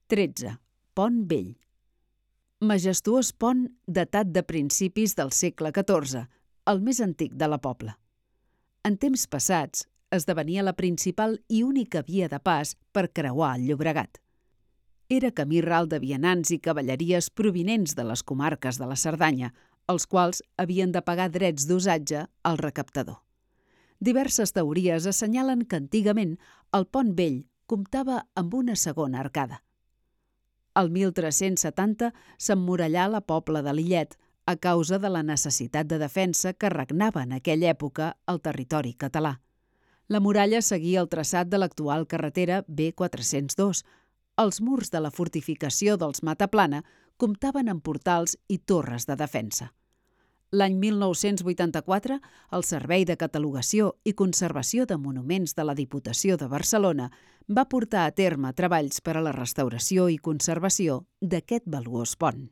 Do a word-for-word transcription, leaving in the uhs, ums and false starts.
tretze. Pont Vell. Majestuós pont datat de principis del segle catorze, el més antic de la Pobla. En temps passats, esdevenia la principal i única via de pas per creuar el Llobregat. Era camí ral de vianants i cavalleries provinents de les comarques de la Cerdanya, els quals havien de pagar drets d'usatge al recaptador. Diverses teories assenyalen que antigament el Pont Vell comptava amb una segona arcada. El mil tres-cents setanta s'emmurallà la Pobla de Lillet a causa de la necessitat de defensa que regnava en aquella època al territori català. La muralla seguia el traçat de l'actual carretera B quatre-cents dos. Els murs de la fortificació dels Mataplana comptaven amb portals i torres de defensa. L'any mil nou-cents vuitanta-quatre, el Servei de Catalogació i Conservació de Monuments de la Diputació de Barcelona va portar a terme treballs per a la restauració i conservació d'aquest valuós pont.